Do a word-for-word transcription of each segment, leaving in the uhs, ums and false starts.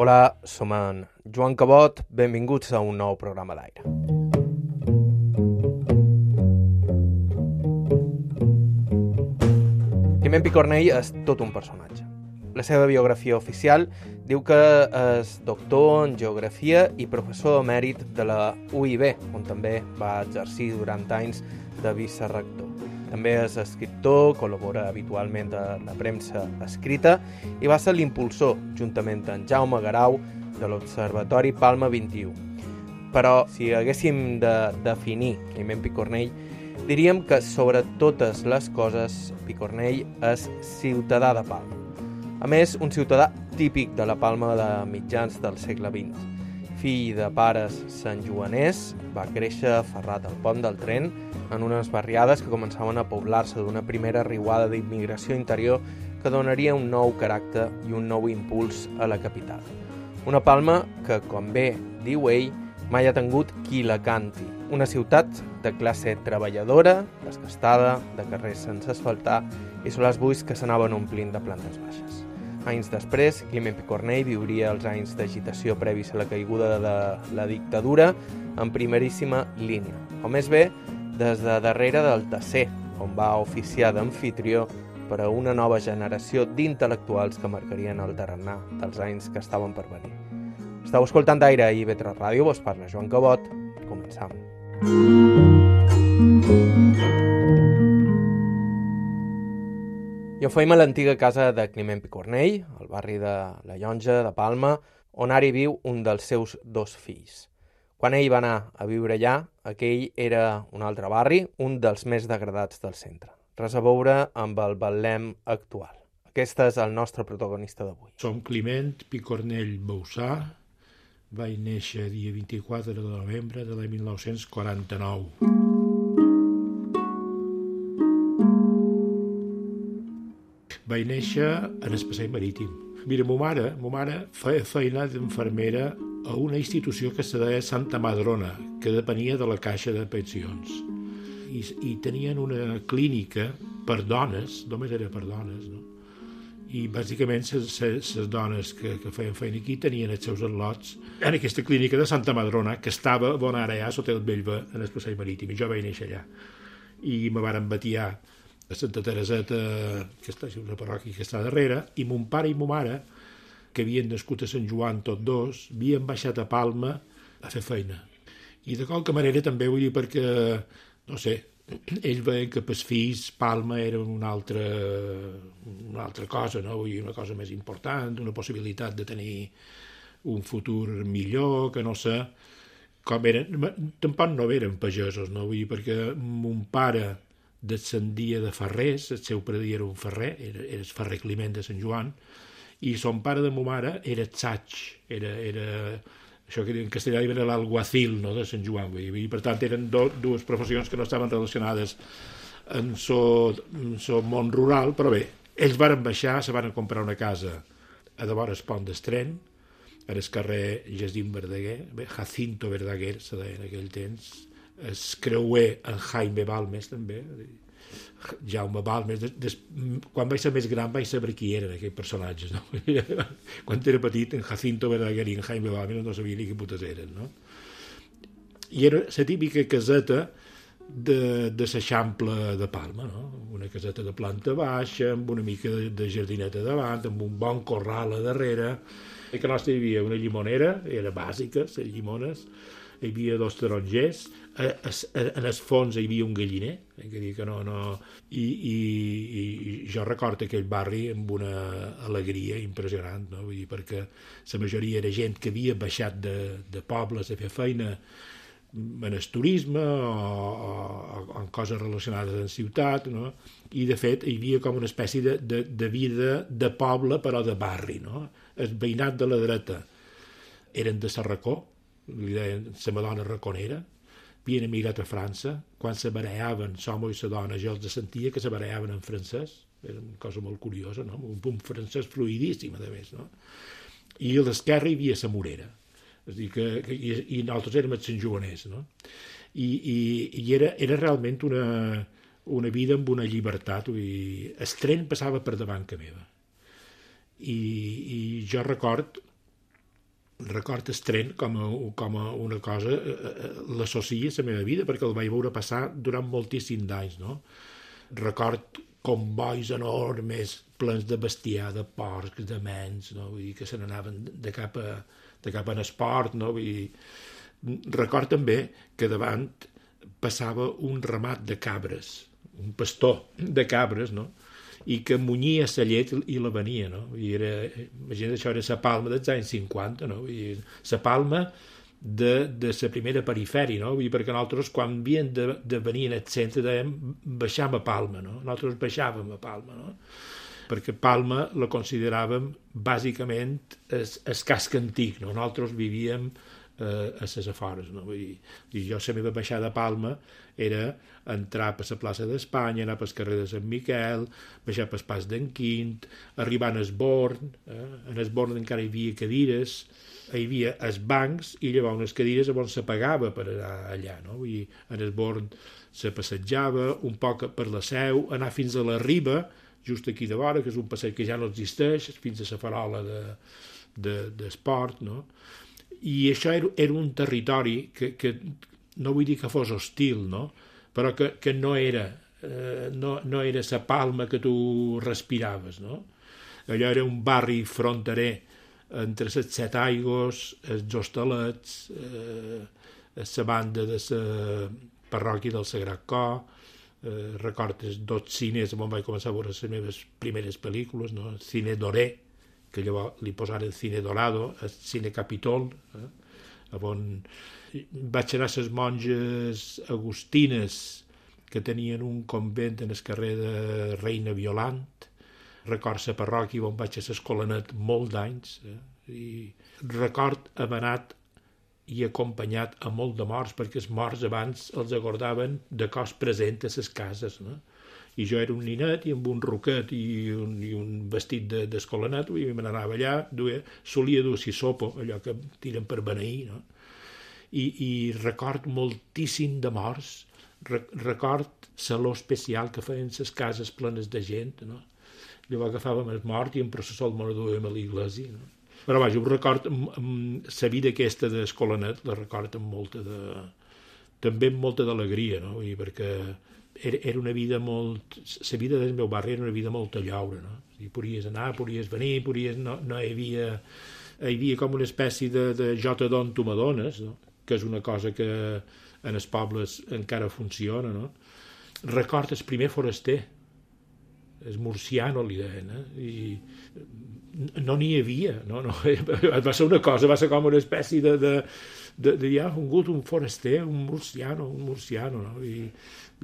Hola, som en Joan Cabot, benvinguts a un nou programa d'aire. Climent Picornell és tot un personatge. La seva biografia oficial diu que és doctor en geografia i professor emèrit de la U I B, on també va exercir durant anys de vicerector. També és escriptor, col·labora habitualment a la premsa escrita i va ser l'impulsor, juntament amb Jaume Garau, de l'Observatori Palma vint-i-u. Però, si haguéssim de definir Climent Picornell, diríem que, sobre totes les coses, Picornell és ciutadà de Palma. A més, un ciutadà típic de la Palma de mitjans del segle vint. Fill de pares santjoaners, va créixer aferrat al pont del tren en unes barriades que començaven a poblar-se d'una primera riuada d'immigració interior que donaria un nou caràcter i un nou impuls a la capital. Una Palma que, com bé diu ell, mai ha tingut qui la canti. Una ciutat de classe treballadora, desgastada, de carrers sense asfaltar i solars buits que s'anaven omplint de plantes baixes. Anys després, Climent Picornell viuria els anys d'agitació previs a la caiguda de la dictadura en primeríssima línia, o més bé, des de darrere del Tasser, on va oficiar d'amfitrió per a una nova generació d'intel·lectuals que marcarien el tarannà dels anys que estaven per venir. Estau escoltant Aire i I V tres Ràdio, vos parla Joan Cabot. Començam. I ho feim a l'antiga casa de Climent Picornell, al barri de la Llonja, de Palma, on ara hi viu un dels seus dos fills. Quan ell va anar a viure allà, aquell era un altre barri, un dels més degradats del centre. Res a veure amb el Betlem actual. Aquest és el nostre protagonista d'avui. Som Climent Picornell Boussà. Vaig néixer dia vint-i-quatre de novembre de l'any mil nou-cents quaranta-nou. Vaig néixer en el passeig marítim. Mira, ma mare, ma mare feia feina d'infermera a una institució que se deia Santa Madrona, que depenia de la Caixa de Pensions. I, i tenien una clínica per dones, només era per dones, no? I bàsicament les dones que, que feien feina aquí tenien els seus al·lots en aquesta clínica de Santa Madrona, que estava bon ara ja sota el Bellver, en el passeig marítim, i jo vaig néixer allà. I me varen batiar a Santa Tereseta, que està una parròquia que està darrere, i mon pare i ma mare, que havien nascut a Sant Joan tots dos, havien baixat a Palma a fer feina. I de qualque manera també vull dir perquè, no sé, ells veien que pels fills Palma era una altra, una altra cosa, no? Vull dir, una cosa més important, una possibilitat de tenir un futur millor, que no sé com eren. Tampoc no eren pagesos, no? Vull dir, perquè mon pare descendia de ferrers, el seu pare era un ferrer, era, era el ferrer Climent de Sant Joan, i son pare de ma mare era tsaig, era, era això que en castellà era l'alguacil, no, de Sant Joan, vull dir. Per tant eren do, dues professions que no estaven relacionades en el món rural, però bé, ells varen baixar, se van comprar una casa a de vora el pont del tren, en el carrer Jacint Verdaguer, bé, Jacinto Verdaguer se deia en aquell temps, el creuer en Jaime Balmes també, Jaume Balmes. Des, des, quan vaig ser més gran vaig saber qui eren aquells personatges, no? Quan era petit, en Jacinto Verdaguer i en Jaime Balmes no sabia ni què putes eren, no? I era la típica caseta de, de l'Eixample de Palma, no? Una caseta de planta baixa, amb una mica de, de jardineta davant, amb un bon corral a darrere. A casa nostra hi havia una llimonera, era bàsica, les llimones, hi havia dos tarongers, a, a, a, en el fons hi havia un galliner, que dir que no, no... I, i, i jo recordo aquell barri amb una alegria impressionant, no? Vull dir, perquè la majoria era gent que havia baixat de, de pobles a fer feina en el turisme o, o, o en coses relacionades amb ciutat, no? I de fet hi havia com una espècie de, de, de vida de poble però de barri, no? El veïnat de la dreta eren de Sarracó, li deien la Madonna raconera, havien emigrat a França, quan se bareaven l'home i la dona jo els sentia que se bareaven en francès, era una cosa molt curiosa, no? Un, un francès fluidíssim a més, no? I a l'esquerra hi havia la Morera, és a dir, que, que, i, i nosaltres érem els santjoaners, no? I, i, i era, era realment una, una vida amb una llibertat, vull dir, el tren passava per davant que meva, i, i jo record record el tren com a, com a una cosa, eh, l'associa a la meva vida, perquè el vaig veure passar durant moltíssims d'anys, no? Record convois enormes, plens de bestiar, de porcs, de mens, no? Vull dir que se n'anaven de cap a, de cap en esport, no? Vull dir, record també que davant passava un ramat de cabres, un pastor de cabres, no? I que munyia la llet i la venia, no? I era, imagina't, això era la Palma dels anys cinquanta, no? I la Palma de, de la primera perifèria, no? I perquè nosaltres, quan havíem de, de venir en el centre, dèiem, baixam a Palma, no? Nosaltres baixàvem a Palma, no? Perquè Palma la consideràvem bàsicament el casc antic, no? Nosaltres vivíem eh, a les afores, no? Vull dir, i jo la meva baixada a Palma era entrar per la plaça d'Espanya, anar pel carrer de Sant Miquel, baixar pel pas d'en Quint, arribar a Esborn, eh? En Esborn encara hi havia cadires, hi havia els bancs i llavors unes cadires on se pagava per anar allà, no? Vull dir, en Esborn se passejava un poc per la Seu, anar fins a la Riba, just aquí de vora, que és un passeig que ja no existeix, fins a la farola de, de, d'esport, no? I això era, era un territori que, que no vull dir que fos hostil, no? Però que, que no era eh, no, no era la Palma que tu respiraves, no? Allò era un barri fronterer entre les Set Aigües, els Hostalets, eh, la banda de la parròquia del Sagrat Cor, eh, recordes dos cines on vaig començar a veure les meves primeres pel·lícules, no? El Cine Doré, que llavors li posaren Cine Dorado, el Cine Capitol, eh? On vaig anar a les monges agustines que tenien un convent en el carrer de Reina Violant, record la parròquia on vaig a l'Escolanet molt d'anys, eh? I record haver anat i acompanyat a molt de morts, perquè els morts abans els acordaven de cos present a les cases, no? I jo era un ninet i amb un roquet i un, i un vestit d'escolanet, de, i me n'anava allà, duia, solia dur sisopo, allò que tiren per beneir, no? I, i record moltíssim de morts, Re, record saló especial que feien les cases plenes de gent, no? Llavors agafàvem el mort i en processó el duem a l'església, no? Però vaja, ho record, la vida aquesta d'escolanet la record amb molta de... també amb molta d'alegria, no? I perquè era, era una vida molt... La vida del meu barri era una vida molt a llaure, no? I podies anar, podies venir, podies... No, no hi havia... Hi havia com una espècie de, de jota d'on tu m'adones, no? Que és una cosa que en els pobles encara funciona, no? Record el primer foraster, el murciano li deien, eh? I no n'hi havia, no, no, va ser una cosa, va ser com una espècie de, de, de, de ja ha vingut un foraster, un murciano, un murciano, no? I,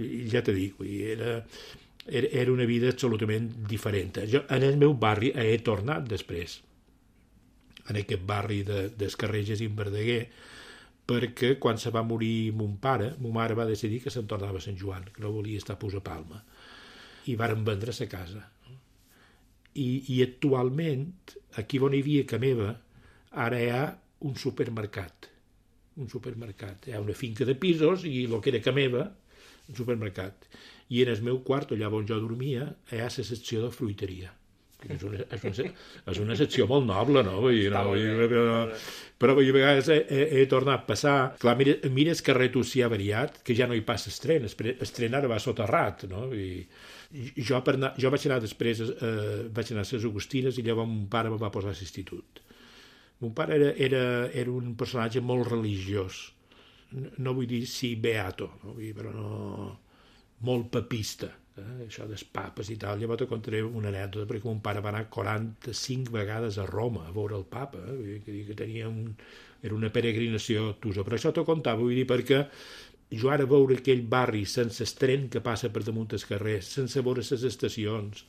i ja te dic, era, era, era una vida absolutament diferent. Jo en el meu barri he tornat després, en aquest barri de, dels carrers Jacint Verdaguer, perquè quan se va morir mon pare, mon mare va decidir que se'n tornava a Sant Joan, que no volia estar a Palma, i varen vendre la casa. I, i actualment, aquí on hi havia ca meva, ara hi ha un supermercat. Un supermercat. Hi ha una finca de pisos i el que era ca meva, un supermercat. I en el meu quart, allà on jo dormia, hi ha la secció de fruiteria. És una, és, una, és una secció molt noble, no? Vull dir, no? Vull dir, però, però a vegades he, he, he tornat a passar... Clar, mira, mira el carrer Tucià variat, que ja no hi passa el tren, el tren ara va soterrat, no? I, jo, per anar, jo vaig anar després, eh, vaig anar a les Agustines i llavors mon pare me va posar a l'institut. Mon pare era, era, era un personatge molt religiós, no, no vull dir sí beato, no? Vull dir, però no... molt papista, eh? Això dels papes i tal. Llavors te contaré una anècdota, perquè mon pare va anar quaranta-cinc vegades a Roma a veure el papa, eh? que, que tenia un, era una peregrinació tusa. Però això t'ho contava, vull dir, perquè jo ara veure aquell barri sense el tren que passa per damunt els carrers, sense veure les estacions,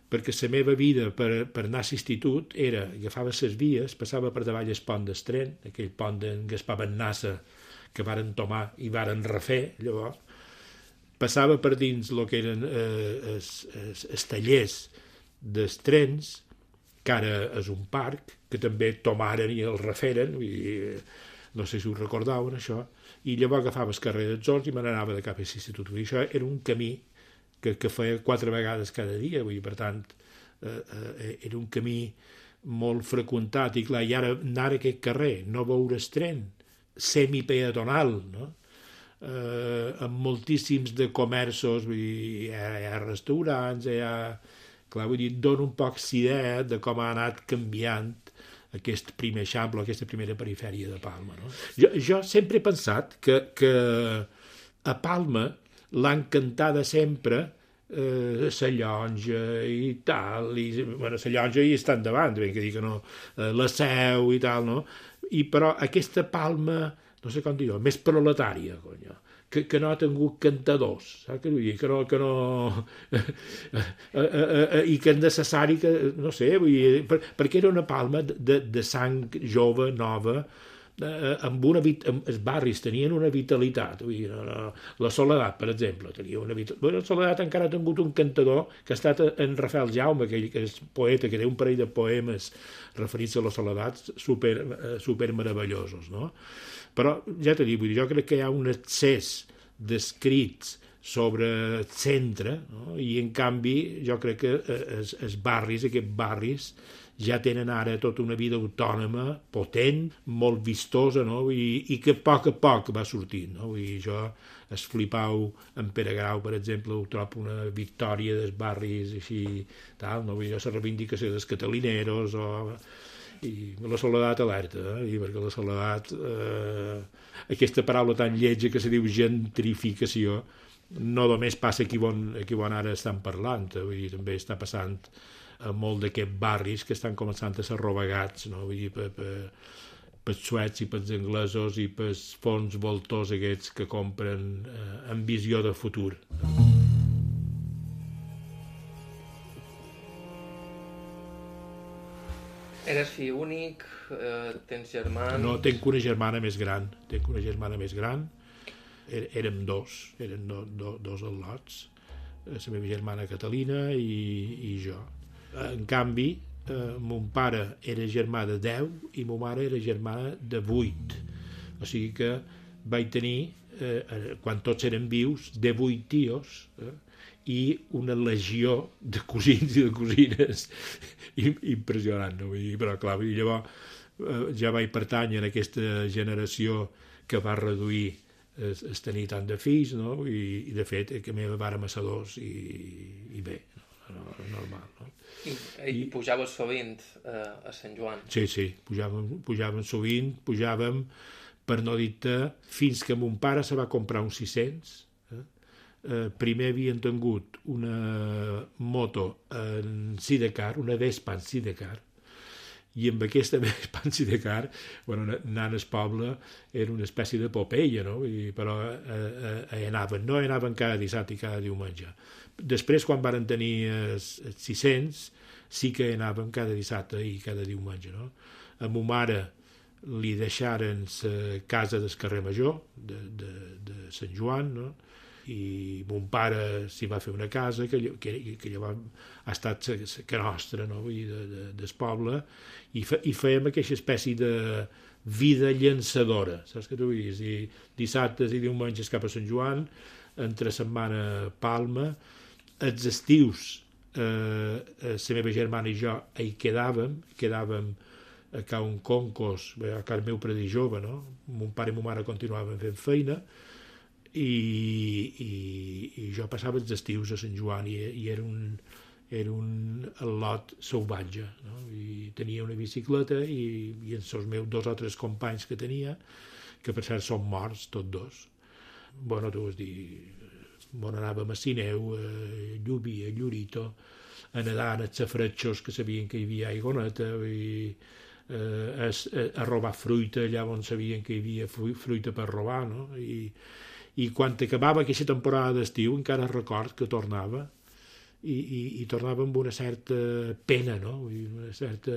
perquè la meva vida per, per anar a l'institut era, agafava les vies, passava per davall el pont del tren, aquell pont d'en Gaspar Bennassa que varen tomar i varen refer, llavors, passava per dins el que eren eh, els, els, els tallers dels trens, que ara és un parc, que també tomaren i el referen, i, no sé si ho recordaven, això, i llavors agafava el carrer dels Horts i me n'anava de cap a l'institut. Això era un camí que, que feia quatre vegades cada dia, vull dir, per tant, eh, eh, era un camí molt freqüentat, i clar, i ara anar a aquest carrer, no veure's tren, semipeatonal, no? Eh, amb moltíssims de comerços, vull dir, hi ha, hi ha restaurants, hi ha... Clar, vull dir, dona un poc idea de com ha anat canviant aquest primer eixample, aquesta primera perifèria de Palma, no? Jo, jo sempre he pensat que, que a Palma l'han cantada sempre eh, la llonja i tal, i, bueno, la llonja hi està endavant, ben que dir que no, eh, la Seu i tal, no? I però aquesta Palma, no sé com dir-ho, més proletària, conyo, que, que no ha tingut cantadors, saps què vull dir? Que no... Que no eh, eh, eh, I que és necessari que, no sé, vull dir, per, perquè era una Palma de, de sang jove, nova, eh, amb una vit, amb, els barris tenien una vitalitat, vull dir, no, no, la Soledat, per exemple, tenia una vitalitat. Bueno, la Soledat encara ha tingut un cantador que ha estat en Rafael Jaume, aquell que és poeta, que té un parell de poemes referits a la Soledat super, super meravellosos, no? Però, ja t'he dit, vull dir, jo crec que hi ha un excés d'escrits sobre el centre, no? I en canvi jo crec que els, els barris, aquests barris, ja tenen ara tota una vida autònoma, potent, molt vistosa, no? I, i que a poc a poc va sortint, no? I jo, es flipau en Pere Grau, per exemple, ho trobo una victòria dels barris així, tal, no? Vull dir, la reivindicació dels catalineros, o... i la Soledat alerta, eh? I perquè la Soledat, eh, aquesta paraula tan lletja que se diu gentrificació, no només passa aquí on, aquí on ara estan parlant, eh? Vull dir, també està passant a molt d'aquests barris que estan començant a ser robagats, no? Vull dir, per, per, pels suecs i pels anglesos i pels fons voltors aquests que compren eh, amb visió de futur. Eres fill únic? Eh, tens germans? No, tenc una germana més gran. Tenc una germana més gran. Er, érem dos, eren do, do, dos al·lots. La meva germana Catalina i, i jo. En canvi, eh, mon pare era germà de deu i ma mare era germana de vuit. O sigui que vaig tenir, eh, quan tots eren vius, de vuit tios, eh, i una legió de cosins i de cosines impressionant, no? Vull dir, però clar, llavors eh, ja vaig pertànyer a aquesta generació que va reduir es, es tenir tant de fills, no? I, i de fet que meva vàrem a ser dos i, i bé, no? Normal, no? I, i pujaves sovint eh, a Sant Joan? Sí, sí, pujàvem, pujàvem sovint, pujàvem, per no dir-te, fins que mon pare se va comprar uns sis-cents. Eh, primer havien tingut una moto en sidecar, una Vespa en sidecar, i amb aquesta Vespa en sidecar, bueno, anant al poble era una espècie de Popeye, no? I, però eh, eh, hi anaven, no hi anaven cada dissabte i cada diumenge. Després, quan varen tenir els sis-cents, sí que hi anàvem cada dissabte i cada diumenge, no? A ma mare li deixaren la casa del carrer Major de, de, de Sant Joan, no? I mon pare s'hi va fer una casa que, que, que llavors ha estat que nostra, no? Vull dir, de, de, del poble, i, fe, i fèiem aquesta espècie de vida llançadora, saps què t'ho vull dir? I dissabtes i diumenges cap a Sant Joan, entre setmana Palma, els estius eh, la meva germana i jo hi quedàvem, quedàvem a ca un concos, a casa meu predí jove, no? Mon pare i ma mare continuaven fent feina, i, i, i jo passava els estius a Sant Joan i, i era un, era un al·lot salvatge, no? I tenia una bicicleta i, i els meus dos o tres companys que tenia, que per cert són morts tots dos. Bueno, tu vas dir, on anàvem a Sineu, a Llubí, a Llurito, a nedar en els safretxos que sabien que hi havia aigoneta, i eh, a, a robar fruita allà on sabien que hi havia fruita per robar, no? I i quan acabava aquesta temporada d'estiu encara record que tornava i, i, i tornava amb una certa pena, no? Una certa,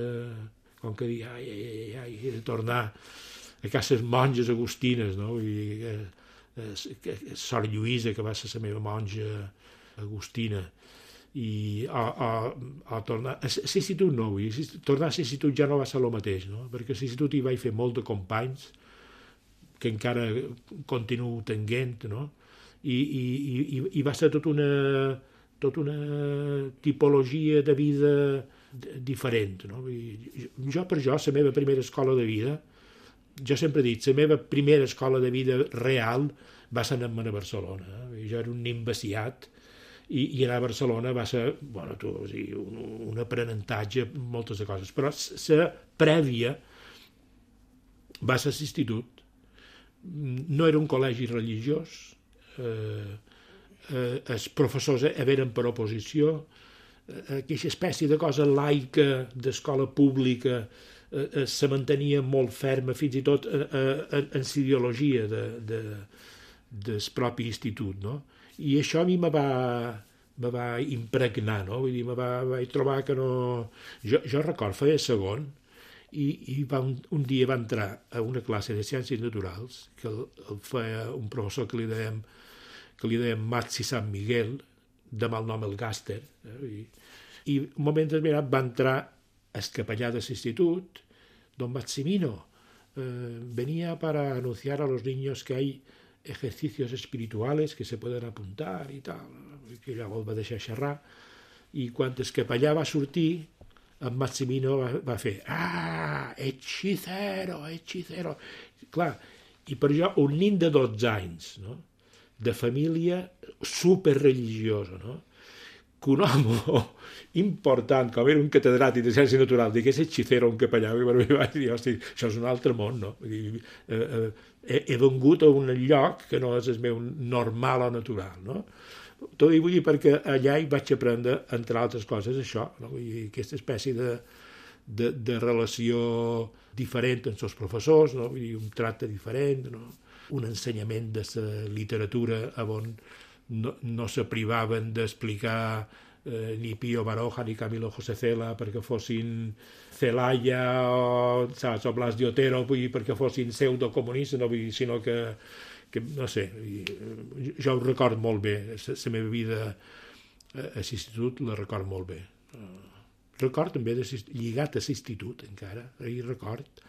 com que dir, ai, ai, ai, ai, he de tornar a cases monges agustines, no? I, eh, eh, Sor Lluïsa, que va ser la meva monja agustina, i a, a, a tornar a l'institut no, vull dir, tornar a l'institut ja no va ser el mateix, no? Perquè a l'institut hi vaig fer molt de companys que encara continuo tenint, no? I, i, i, i va ser tota una, tot una tipologia de vida diferent, no? Jo, per jo, la meva primera escola de vida, jo sempre he dit, la meva primera escola de vida real va ser anar a Barcelona. Eh? Jo era un nin vaciat i, i anar a Barcelona va ser, bueno, tu, o sigui, un, un aprenentatge, moltes de coses, però la prèvia va ser l'institut. No era un col·legi religiós, eh, eh, els professors eren per oposició, eh, aquesta espècie de cosa laica d'escola pública eh, eh, se mantenia molt ferma, fins i tot eh, eh, en l'ideologia de, de, del propi institut, no? I això a mi me va, me va impregnar, no? Vull dir, me va, vaig trobar que no... Jo, jo record, feia segon, i, i va un, un dia va entrar a una classe de ciències naturals que el, el feia un professor que li dèiem que li dèiem Matsi San Miguel, de mal nom el Gàster, eh? I, i un moment determinat va entrar el capellà de l'institut, don Maximino, eh, venía para anunciar a los niños que hay ejercicios espirituales que se pueden apuntar i tal, que llavors va deixar xerrar, i quan el capellà va sortir, en Maximino va, va fer ah, hechicero, hechicero. Clar, i per jo un nin de dotze anys, no? De família superreligiosa, no? Que un home important, com era un catedràtic de ciència natural, digués hechicero un capellà, i per mi vaig dir, hosti, això és un altre món, no? Vull dir, eh, eh, he, he vengut a un lloc que no és el meu normal o natural, no? Tot i vull dir perquè allà hi vaig aprendre, entre altres coses, això, no? Vull dir, aquesta espècie de, de, de relació diferent amb els professors, no? Vull dir, un tracte diferent, no? Un ensenyament de la literatura on no, no se privaven d'explicar eh, ni Pío Baroja ni Camilo José Cela perquè fossin Celaya o, saps, o Blas de Otero, vull dir, perquè fossin pseudocomunistes, no? Vull dir, sinó que que, no sé, jo ho record molt bé, la meva vida a l'institut la record molt bé. Record també de, lligat a l'institut encara, i record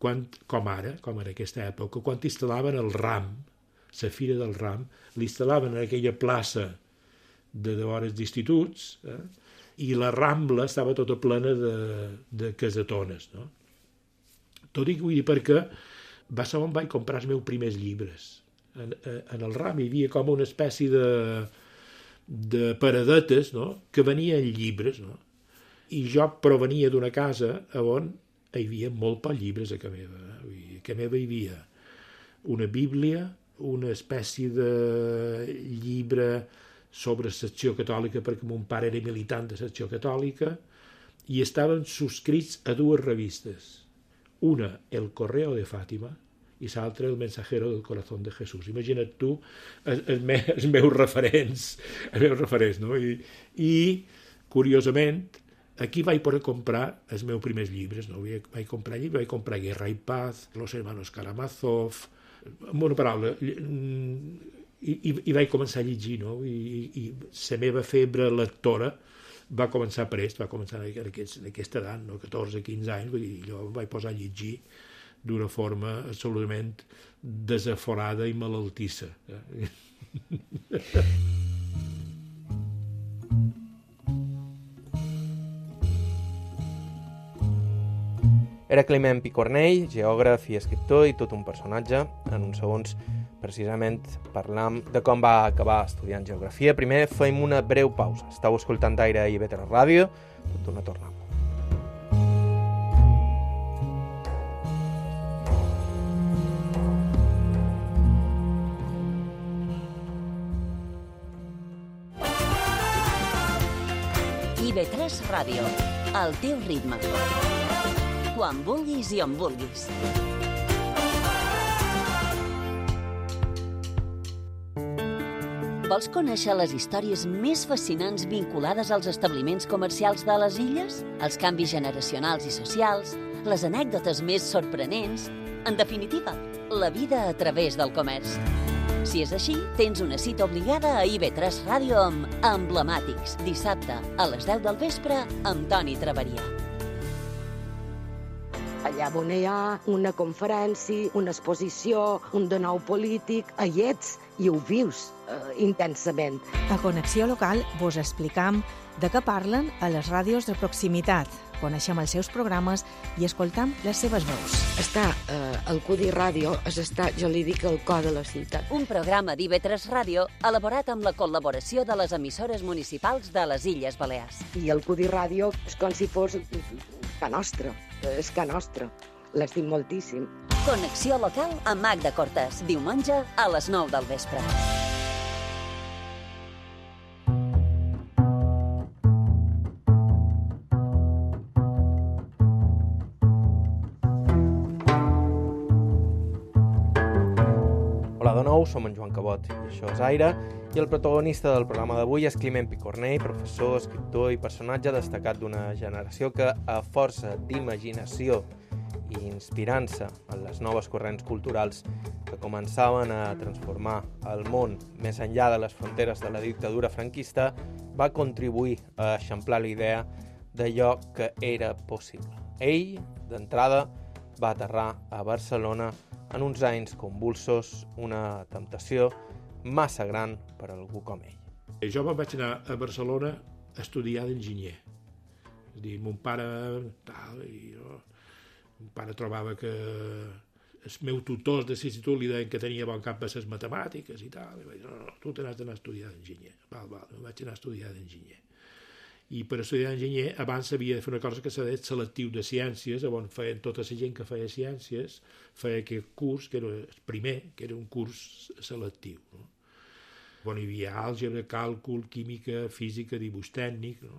quan, com ara, com en aquesta època, quan instal·laven el RAM, la Fira del RAM, l'instal·laven en aquella plaça de hores d'instituts, eh? I la Rambla estava tota plena de, de casetones, no? Tot i que vull dir perquè va ser on vaig comprar els meus primers llibres. En, en el RAM hi havia com una espècie de, de paradetes, no? Que venien llibres, no? I jo provenia d'una casa on hi havia molt pocs llibres a casa meva. A casa meva hi havia una Bíblia, una espècie de llibre sobre secció catòlica, perquè mon pare era militant de secció catòlica, i estaven subscrits a dues revistes. Una, El Correo de Fàtima, i l'altra, El Mensajero del Corazón de Jesús. Imagina't tu els, els, me, els meus referents, els meus referents, no? I, i curiosament, aquí vaig poder comprar els meus primers llibres, no? Vaig comprar llibres, vaig comprar Guerra i Paz, Los Hermanos Karamazov, amb una paraula, i, i, i vaig començar a llegir, no? I, i la meva febre lectora va començar prest, va començar en aquesta edat, no? catorze quinze anys, vull dir, jo em vaig posar a llegir d'una forma absolutament desaforada i malaltissa. Era Climent Picornell, geògraf i escriptor i tot un personatge. En uns segons, precisament, parlam de com va acabar estudiant geografia. Primer feim una breu pausa. Estau escoltant Aire i I V tres Ràdio. Tot una tornada. I V tres Ràdio, al teu ritme. Quan vulguis i on vulguis. Vols conèixer les històries més fascinants vinculades als establiments comercials de les illes? Els canvis generacionals i socials? Les anècdotes més sorprenents? En definitiva, la vida a través del comerç. Si és així, tens una cita obligada a I V tres Ràdio amb Emblemàtics, dissabte a les deu del vespre amb Toni Traveria. Allà allà on hi ha una conferència, una exposició, un de nou polític, hi ets i ho vius eh, intensament. A Connexió Local vos explicam de què parlen a les ràdios de proximitat. Coneixem els seus programes i escoltam les seves veus. Està eh, el Cudi Ràdio, és estar, jo li dic, el cor de la ciutat. Un programa d'I V tres Ràdio elaborat amb la col·laboració de les emissores municipals de les Illes Balears. I el Cudi Ràdio és com si fos ca nostra, és ca nostra. L'estim moltíssim. Connexió Local amb Magda Cortés, diumenge a les nou del vespre. Hola de nou, som en Joan Cabot i això és Aire, i el protagonista del programa d'avui és Climent Picornell, professor, escriptor i personatge destacat d'una generació que, a força d'imaginació i inspirant-se en les noves corrents culturals que començaven a transformar el món més enllà de les fronteres de la dictadura franquista, va contribuir a eixamplar la idea d'allò que era possible. Ell, d'entrada, va aterrar a Barcelona en uns anys convulsos, una temptació massa gran per a algú com ell. Jo me'n vaig anar a Barcelona a estudiar d'enginyer. És a dir, mon pare... Tal, i jo, mon pare trobava que els meus tutors de l'institut li deien que tenia bon cap per les matemàtiques i tal. I vaig dir, no, no, tu te n'has d'anar a estudiar d'enginyer. Val, val, me'n vaig anar a estudiar d'enginyer. I per estudiar d'enginyer abans havia de fer una cosa que s'ha dit selectiu de ciències, on feien tota la gent que feia ciències, feia aquest curs, que era el primer, que era un curs selectiu, no? On hi havia àlgebra, càlcul, química, física, dibuix tècnic, no?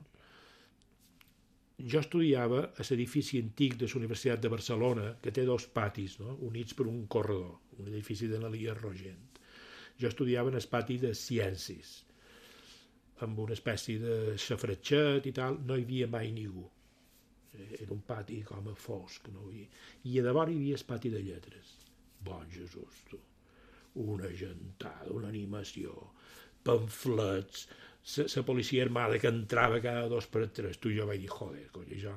Jo estudiava a l'edifici antic de la Universitat de Barcelona, que té dos patis, no? Units per un corredor, un edifici de l'Elia Rogent. Jo estudiava en el pati de ciències, amb una espècie de xafratxet i tal, no hi havia mai ningú. Era un pati com a fosc, no? I, i a davant hi havia el pati de lletres. Bon Jesús, tu. Una gentada, una animació, pamflets, la policia armada que entrava cada dos per tres. Tu, jo vaig dir, joder, coi, jo,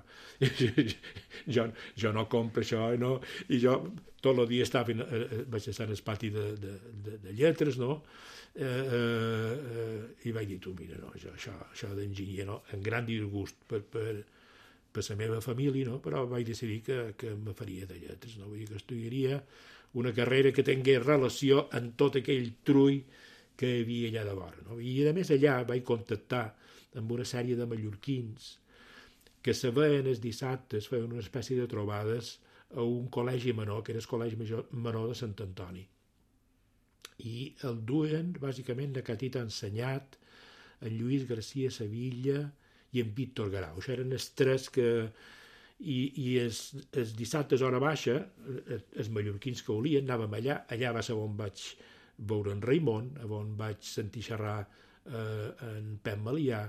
jo, jo no compro això, i, no, i jo tot el dia estava, eh, vaig estar en el pati de, de, de, de lletres, no? Eh, eh, eh, i vaig dir, tu, mira, no, això, això, això d'enginyer, no? En gran disgust per, per, per la meva família, no? Però vaig decidir que, que me faria de lletres, no? Vull dir que estudiaria una carrera que tingués relació amb tot aquell trull que hi havia allà de vora, no? I a més allà vaig contactar amb una sèrie de mallorquins que se veien els dissabtes, feien una espècie de trobades a un col·legi menor, que era el col·legi menor de Sant Antoni. I el duen, bàsicament, de Catita Ensenyat, en Lluís García Sevilla i en Víctor Garau. Això eren els tres que... I, i els, els dissabtes hora baixa, els mallorquins que volien, anàvem allà, allà va ser on vaig veure en Raimon, on vaig sentir xerrar eh, en Pep Malià,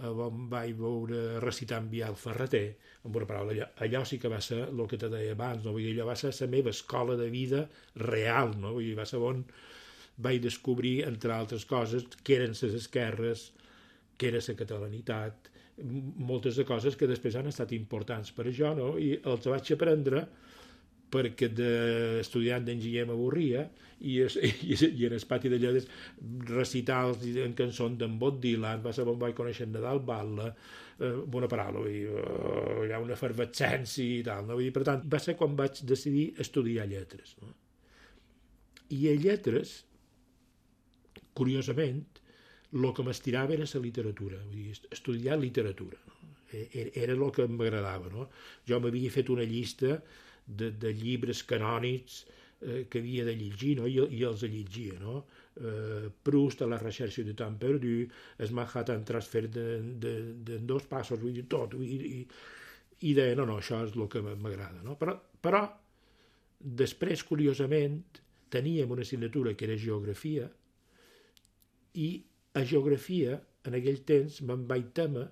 on vaig veure recitar en Biel Ferreter, amb una paraula, allò, allò sí que va ser el que te deia abans, no? Vull dir, allò va ser la meva escola de vida real, no? Vull dir, va ser on vaig descobrir, entre altres coses, què eren les esquerres, què era la catalanitat, moltes de coses que després han estat importants per a jo, no? I els vaig aprendre perquè d'estudiant d'enginyer m'avorria i, i, i en el pati de lletres recitals en cançons d'en Bob Dylan, va ser on vaig conèixer en Nadal Batlle, eh, amb una paraula, vull dir, uh, hi ha una efervescència i tal, no? Vull dir, per tant, va ser quan vaig decidir estudiar lletres, no? I a lletres, curiosament, el que m'estirava era la literatura, vull dir, estudiar literatura, no? Era el que m'agradava, no? Jo m'havia fet una llista de, de llibres canònics eh, que havia de llegir, no? I, i els llegia, no? Eh, Proust, a la recherche de temps perdu, el Manhattan Transfer de, de, de dos passos, vull dir, tot, vull dir, i, i deia, no, no, això és el que m'agrada, no? Però, però, després, curiosament, teníem una assignatura que era geografia, i a geografia, en aquell temps, me'n vaig temer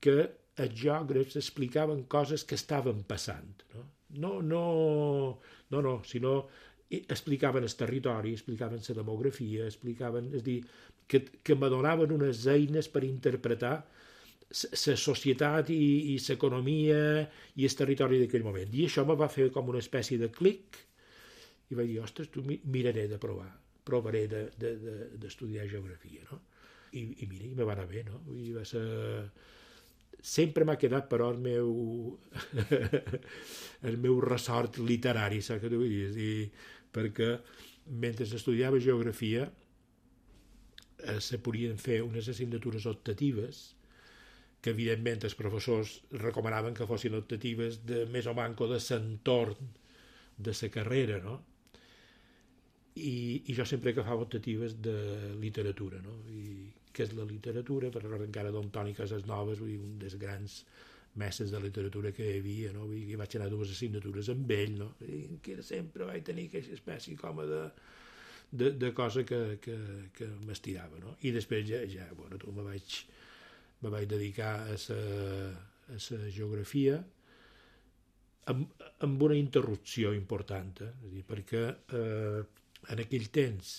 que els geògrafs explicaven coses que estaven passant, no? No, no, no, no, sinó explicaven el territori, explicaven la demografia, explicaven, és a dir, que, que me donaven unes eines per interpretar la societat i l'economia i el territori d'aquell moment. I això me va fer com una espècie de clic i vaig dir, ostres, tu miraré de provar, provaré d'estudiar de, de, geografia, no? I, i mira, i me va anar bé, no? I va ser... Sempre m'ha quedat, però, el meu el meu ressort literari, saps què t'ho vull dir? I, perquè mentre estudiava geografia eh, se podien fer unes assignatures optatives que evidentment els professors recomanaven que fossin optatives de més o manco de l'entorn de la carrera, no? I, i jo sempre agafava optatives de literatura, no? I què és la literatura? Per recordo encara Don Toni Casasnoves, vull dir, un dels grans mestres de literatura que hi havia, no? Vull dir, vaig anar dues assignatures amb ell, no? I que sempre vaig tenir aquesta espècie com de, de, de cosa que, que, que m'estirava, no? I després ja, ja bueno, tu me vaig, me vaig dedicar a la geografia amb, amb una interrupció important, eh? És a dir, perquè eh, en aquell temps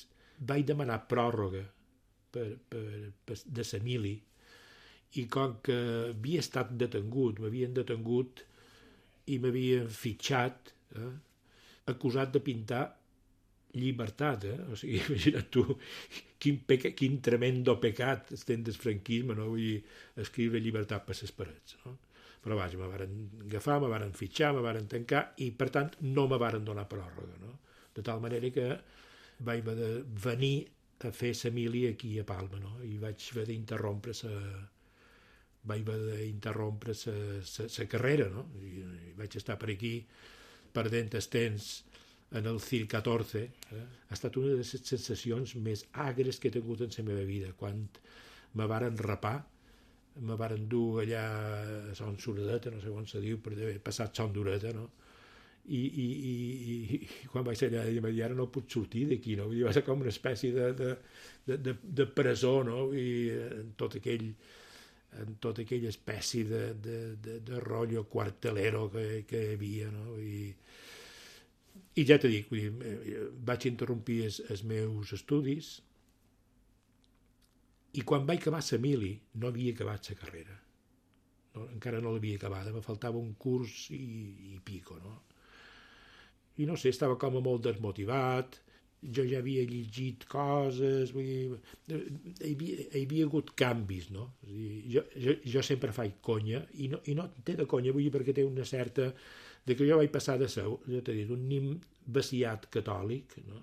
vaig demanar pròrroga per, per, per, de la mili i com que havia estat detengut, m'havien detengut i m'havien fitxat, eh, acusat de pintar llibertat, eh? O sigui, imagina't tu quin, peca, quin tremendo pecat estem del franquisme, no? Vull dir, escriure llibertat per les parets, no? Però vaja, me varen agafar, me varen fitxar, me varen tancar i per tant no me varen donar pròrroga, no? De tal manera que vaig haver de venir a fer la mili aquí a Palma, no? I vaig haver d'interrompre la vaig haver d'interrompre la carrera, no? I, i vaig estar per aquí perdent el temps en el C I L catorze. Eh? Ha estat una de les sensacions més agres que he tingut en la meva vida, quan me varen rapar, me varen dur allà a Son Suradeta, no sé on se diu, per haver passat Son Dureta, no? I, i, i, i quan vaig allà i ara no puc sortir d'aquí, no? I va ser com una espècie de, de, de, de, de presó, no? I en tot aquell en tota aquella espècie de, de, de, de rotllo quartelero que, que hi havia, no? I, i ja t'he dit, vull dir, vaig interrompir els, els meus estudis i quan vaig acabar la mili no havia acabat la carrera, no, encara no l'havia acabada, me faltava un curs i, i pico, no? I no sé, estava com molt desmotivat, jo ja havia llegit coses, vull dir, hi havia, hi havia hagut canvis, no? És dir, jo, jo, jo sempre faig conya, i no, i no té de conya, vull dir, perquè té una certa... de que jo vaig passar de ser, ja t'he dit, un nim vaciat catòlic, no?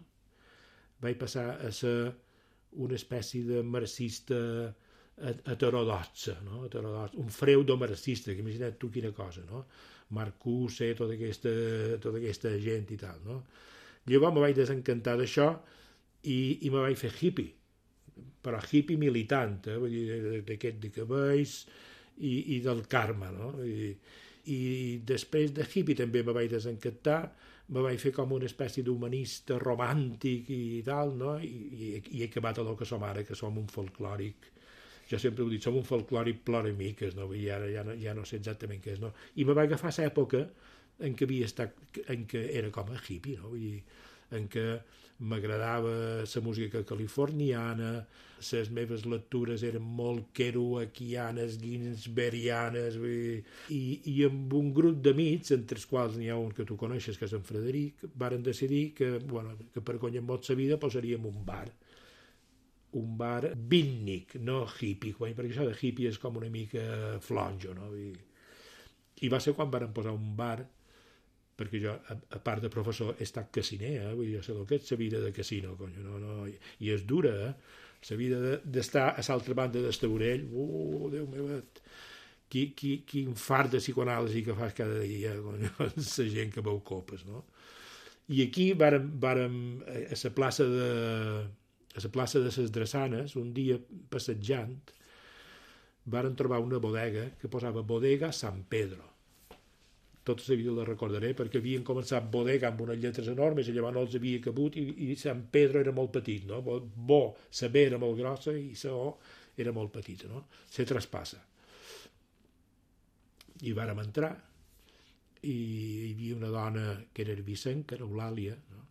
Vaig passar a ser una espècie de marxista heterodoxa, no? Heterodoxa, un freudo-marxista, que imagina't tu quina cosa, no? Marcuse, tota aquesta, tota aquesta gent i tal, no? Llavors me vaig desencantar d'això i, i me vaig fer hippie, però hippie militant, eh? Vull dir, d'aquest de cabells i, i del Carme, no? I, i després de hippie també me vaig desencantar, me vaig fer com una espècie d'humanista romàntic i tal, no? I, i, i he acabat a lo que som ara, que som un folclòric. Jo sempre ho dic, som un folclòric ploramiques, no? I ara ja no, ja no sé exactament què és, no? I me va agafar l'època en què havia estat, en què era com a hippie, no? Vull dir, en què m'agradava la música californiana, les meves lectures eren molt kerouacianes, ginsberianes, vull dir, i, i amb un grup d'amics, entre els quals n'hi ha un que tu coneixes, que és en Frederic, varen decidir que, bueno, que per guanyar molt la vida posaríem un bar. Un bar beatnik, no hippie, perquè això de hippie és com una mica flonjo, no? I, i va ser quan varen posar un bar, perquè jo, a, a part de professor, he estat casiner, eh? Vull dir, jo sé el que és la vida de casino, conyo, no, no, i, i és dura, eh? La vida d'estar a l'altra banda del taulell, uh, Déu meu, qui, qui, quin fart de psicoanàlisi que fas cada dia, conyo, la gent que veu copes, no? I aquí vàrem, vàrem a la plaça de... a la plaça de les Drassanes, un dia passejant, varen trobar una bodega que posava Bodega San Pedro. Tota la vida la recordaré, perquè havien començat bodega amb unes lletres enormes i llavors no els havia cabut i, i San Pedro era molt petit, no? Bo, la B era molt grossa i la O era molt petita, no? Se traspassa. I vàrem entrar i hi havia una dona que era Vicent, que era Eulàlia, no?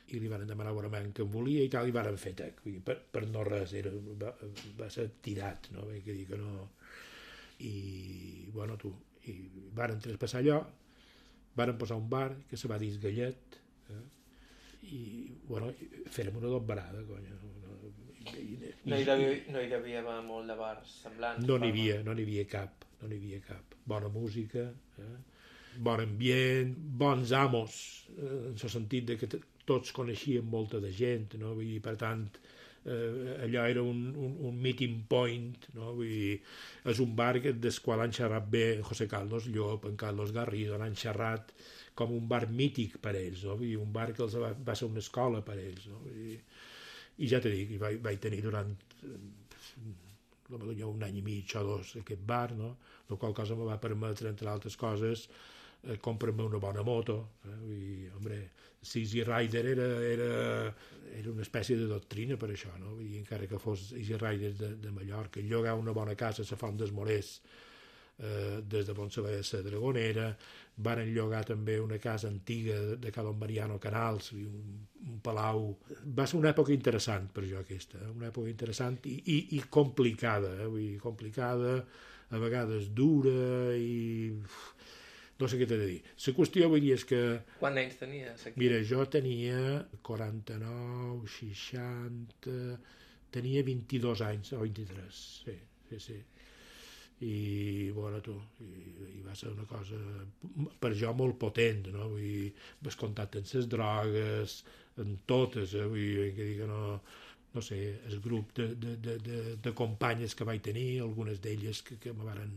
I li van demanar bonament que em volia i tal, i varen fer tec, per, per no res, era, va, va ser tirat, no? Vull dir que no... i bueno, tu, i varen traspassar allò, varen posar un bar que se va dir Gallet, eh? I bueno, fèrem una dobbarada, conya. I, i, no, hi devia, no hi devia haver molt de bars semblants? No n'hi havia, no n'hi havia cap, no n'hi havia cap. Bona música, eh? Bon ambient, bons amos, eh? En el sentit de que tots coneixien molta de gent, no? Vull dir, per tant, eh, allò era un, un, un meeting point, no? Vull dir, és un bar del qual han xerrat bé en José Carlos Llop, en Carlos Garrido, han xerrat com un bar mític per ells, no? Vull dir, un bar que els va, va ser una escola per ells, no? Vull dir, i ja t'he dit, vaig, vaig tenir durant potser un any i mig o dos aquest bar, no? La qual cosa me va permetre, entre altres coses, eh, comprar-me una bona moto, eh? Vull dir, hombre, Easy Rider era, era, era una espècie de doctrina per això, no? Vull dir, encara que fos Easy Rider de, de Mallorca, llogar una bona casa a la Font dels Morers, eh, des de Pontsabella a la Dragonera, varen llogar també una casa antiga de, de Calon Mariano Canals, un, un palau. Va ser una època interessant per jo aquesta, eh? Una època interessant i, i, i complicada, eh? Vull dir, complicada, a vegades dura i... no sé què t'he de dir. La qüestió, vull dir, és que... Quants anys tenies aquí? Mira, jo tenia quaranta-nou, seixanta... Tenia vint-i-dos anys, o vint-i-tres, sí, sí, sí. I, bueno, tu, i, i va ser una cosa, per jo, molt potent, no? Vull dir, vas contacte amb les drogues, en totes, eh? Vull dir, que dic que no... no sé, el grup de, de, de, de, de companyes que vaig tenir, algunes d'elles que, que me varen...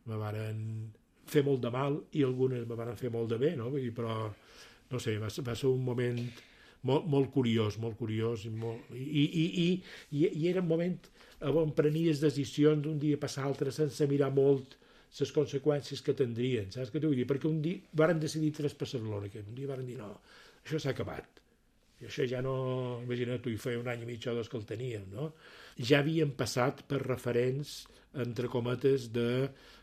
me varen fer molt de mal i algunes me van fer molt de bé, no? Però, no sé, va, va ser un moment molt, molt curiós, molt curiós, i, molt, i, i, i, i, i era un moment on prenies decisions d'un dia per l'altre sense mirar molt les conseqüències que tindrien, saps què t'ho vull dir? Perquè un dia varen decidir traspassar Barcelona, que un dia varen dir, no, això s'ha acabat. I això ja no... Imagina't, tu hi feia un any i mig o dos que el teníem, no? Ja havien passat per referents, entre cometes, de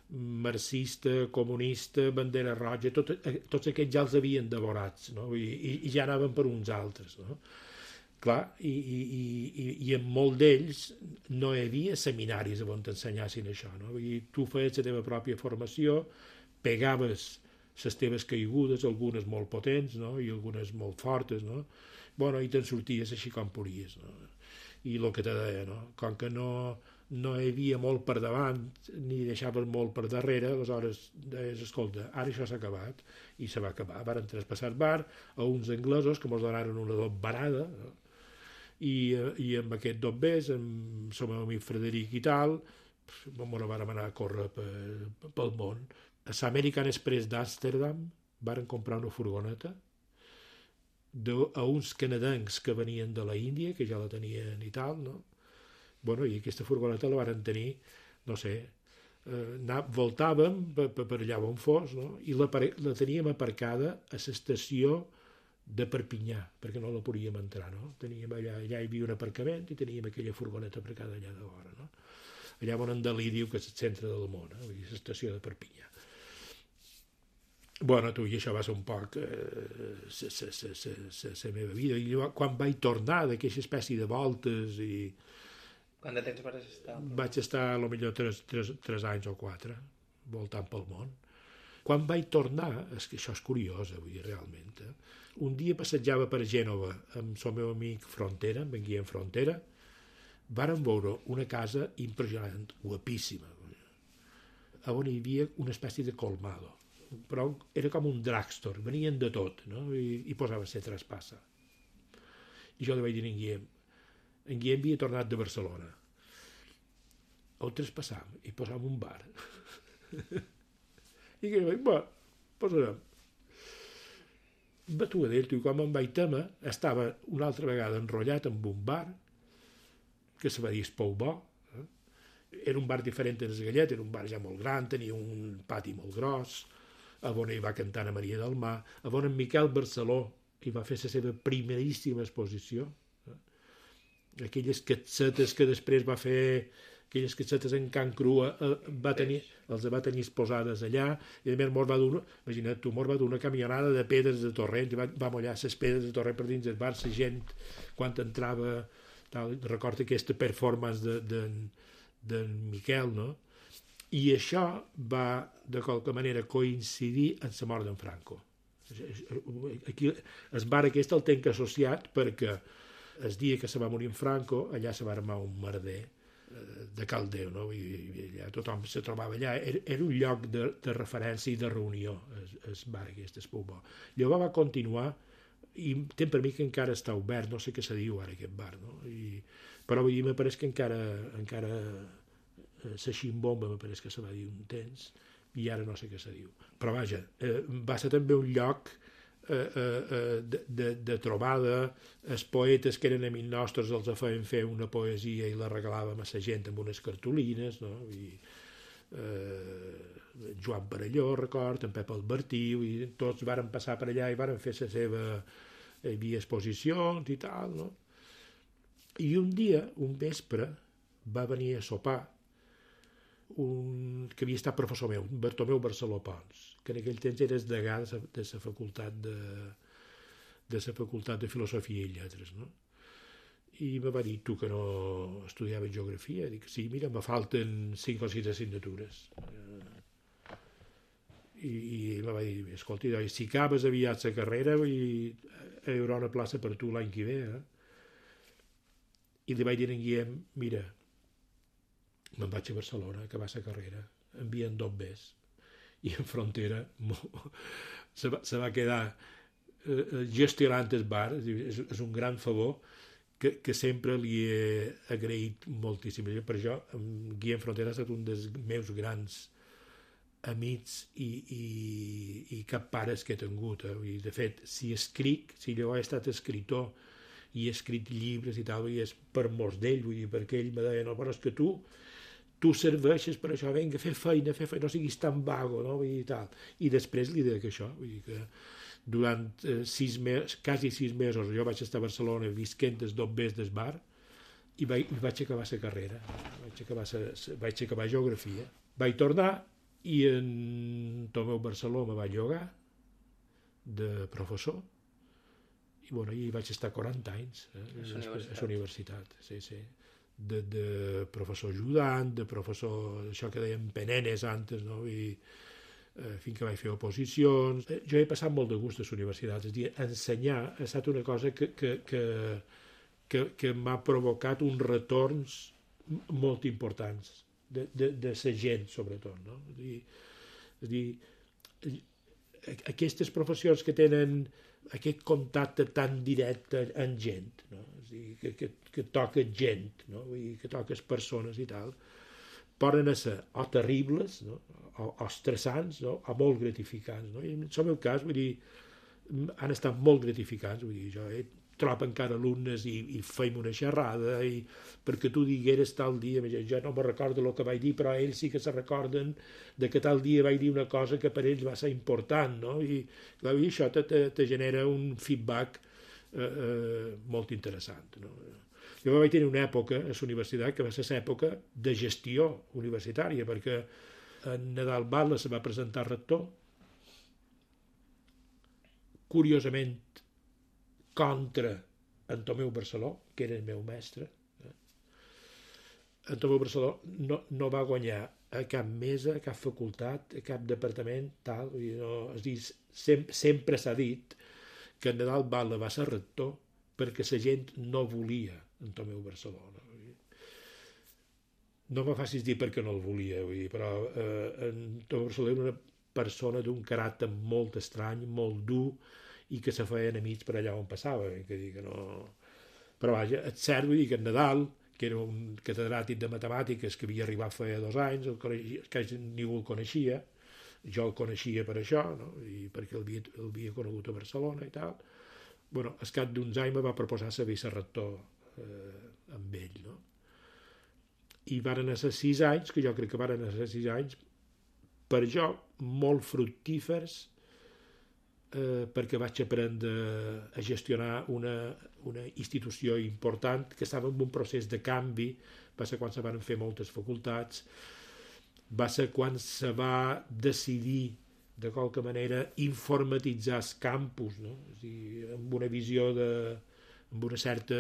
marxista, comunista, bandera roja, tot, tots aquests ja els havien devorats, no? I, i, i ja anaven per uns altres, no? Clar, i, i, i, i en molt d'ells no hi havia seminaris on t'ensenyassin això, no? I tu feies la teva pròpia formació, pegaves les teves caigudes, algunes molt potents, no? I algunes molt fortes, no? Bueno, i te'n sorties així com podies, no? I el que te deia, no? Com que no, no hi havia molt per davant ni deixaves molt per darrere, aleshores deies, escolta, ara això s'ha acabat, i se va acabar. Varen traspassar el bar a uns anglesos que mos donaren una dobbarada, no? I, i amb aquest dobbers, amb el meu amic Frederic i tal, mos vàrem anar a córrer pel, pel món. A l'American Express d'Amsterdam varen comprar una furgoneta de, a uns canadencs que venien de la Índia, que ja la tenien i tal, no? Bueno, i aquesta furgoneta la varen tenir, no sé, eh, anar, voltàvem per, per allà on fos, no? I la, la teníem aparcada a l'estació de Perpinyà, perquè no la podíem entrar, no? Teníem allà, allà hi havia un aparcament i teníem aquella furgoneta aparcada allà de vora, no? Allà on en Dalí diu que és el centre del món, eh? Vull dir, l'estació de Perpinyà. Bueno, tu, i això va ser un poc la meva vida. I quan vaig tornar d'aquesta espècie de voltes i... Quant de temps vas estar? Vaig estar, potser, tres, tres, tres anys o quatre, voltant pel món. Quan vaig tornar, és que això és curiós, vull dir, realment, eh? Un dia passejava per Gènova amb el meu amic Frontera, amb en Guillem Frontera, vàrem veure una casa impressionant, guapíssima, on hi havia una espècie de colmado, però era com un drugstore, venien de tot, no? I, i posava ser traspassa. I jo li vaig dir a en Guillem, en Guillem havia tornat de Barcelona, on traspassam i posam un bar. I que vaig, va, posarem. Batuadell, tu, com em vaig tema, estava una altra vegada enrotllat amb un bar, que se va dir Espou Bo. Eh? Era un bar diferent del Gallet, era un bar ja molt gran, tenia un pati molt gros, a on hi va cantar a Maria del Mar, a on en Miquel Barceló hi va fer la seva primeríssima exposició. Eh? Aquelles cassetes que després va fer... aquelles cassetes en Can Crua, eh, va tenir, els va tenir exposades allà, i a més mos va donar, imagina't tu, mos va donar una camionada de pedres de torrent, i va, va mollar les pedres de torrent per dins del bar, la gent, quan entrava, tal, recorda aquesta performance de, de, de Miquel, no? I això va, de qualque manera, coincidir amb la mort d'en Franco. Aquí, el bar aquest el tenc associat perquè el dia que se va morir en Franco, allà se va armar un merder de Caldeu, no? I, i allà tothom se trobava allà. Era, era un lloc de, de referència i de reunió, el bar aquest, el Pubó. Llavors va continuar, i tem per mi que encara està obert, no sé què se diu ara aquest bar, no? I, però vull dir, me pareix que encara, encara la ximbomba, me pareix que se va dir un temps, i ara no sé què se diu. Però vaja, eh, va ser també un lloc eh, eh, de, de, de trobada. Els poetes que eren amics nostres els feien fer una poesia i la regalàvem a la gent amb unes cartolines, no? I, eh, Joan Parelló, record, en Pep Albertí, i tots varen passar per allà i varen fer la seva... Hi havia exposicions i tal, no? I un dia, un vespre, va venir a sopar un que havia estat professor meu, Bartomeu Barceló Pons, que en aquell temps era degà de la facultat de, de la facultat de Filosofia i Lletres, no? I me va dir, tu que no estudiaves geografia? Dic, sí, mira, me falten cinc o sis assignatures. I, i me va dir, escolta, si acabes aviat la carrera, hi haurà una plaça per tu l'any que ve, eh? I li vaig dir en Guillem, mira, me'n vaig a Barcelona a acabar la carrera, envien dos bes, i en Frontera se va, se va quedar eh, gestionant el bar. És, és un gran favor que, que sempre li he agraït moltíssim. Per això, en Guillem Frontera ha estat un dels meus grans amics i, i, i cap pares que he tingut. Eh? I de fet, si escric, si jo he estat escritor i he escrit llibres i tal, i és per molts d'ell, vull dir, perquè ell me deia, no, però és que tu tu serveixes per això, vinga, fer feina, fer feina, no siguis tan vago, no? Vull dir, tal. I després li deia que això, vull dir que durant eh, sis mesos, quasi sis mesos, jo vaig estar a Barcelona visquent els dos bes del bar i vaig, vaig acabar la carrera, vaig acabar, sa, vaig acabar geografia. Vaig tornar i en Tomeu Barceló me va llogar de professor i bueno, hi vaig estar quaranta anys eh, a la universitat, sí, sí. De, de professor ajudant, de professor, això que dèiem penenes antes, no? I eh, fins que vaig fer oposicions. Eh, jo he passat molt de gust a les universitats, és a dir, ensenyar ha estat una cosa que, que, que, que, que m'ha provocat uns retorns molt importants de, de, de la gent, sobretot, no? És a dir, és a dir, aquestes professions que tenen aquest contacte tan directe amb gent, no? És a dir, que, que, que toca gent, no? Vull dir, que toques persones i tal, poden ser o terribles, no? o, o estressants, no? O molt gratificants, no? I en el meu cas, vull dir, han estat molt gratificants, vull dir, jo he trobo encara alumnes i, i feim una xerrada i perquè tu digueres tal dia, jo no me recordo el que vaig dir, però ells sí que se recorden de que tal dia vaig dir una cosa que per ells va ser important, no? I, clar, i això te, te, te genera un feedback eh, eh, molt interessant, no? Jo vaig tenir una època a la universitat que va ser l'època de gestió universitària, perquè en Nadal Batlle se va presentar rector, curiosament contra en Tomeu Barceló, que era el meu mestre. En Tomeu Barceló no, no va guanyar a cap mesa, a cap facultat, a cap departament, tal. No, és dir, sem, sempre s'ha dit que en Nadal Batlle va ser rector perquè la gent no volia en Tomeu Barceló. No, no me facis dir perquè no el volia, vull dir, però eh, en Tomeu Barceló era una persona d'un caràcter molt estrany, molt dur, i que se feien amics per allà on passava, que dir que no... Però vaja, és cert, vull dir que en Nadal, que era un catedràtic de matemàtiques que havia arribat fa dos anys, el coneixia, que ningú el coneixia, jo el coneixia per això, no? I perquè el havia, el havia conegut a Barcelona i tal. Bueno, al cap d'uns anys me va proposar ser vicerector eh, amb ell, no? I varen ser sis anys, que jo crec que varen ser sis anys, per jo molt fructífers, Eh, perquè vaig aprendre a gestionar una, una institució important que estava en un procés de canvi. Va ser quan se van fer moltes facultats, va ser quan se va decidir de qualque manera informatitzar els campus, no? És a dir, amb una visió de, amb una certa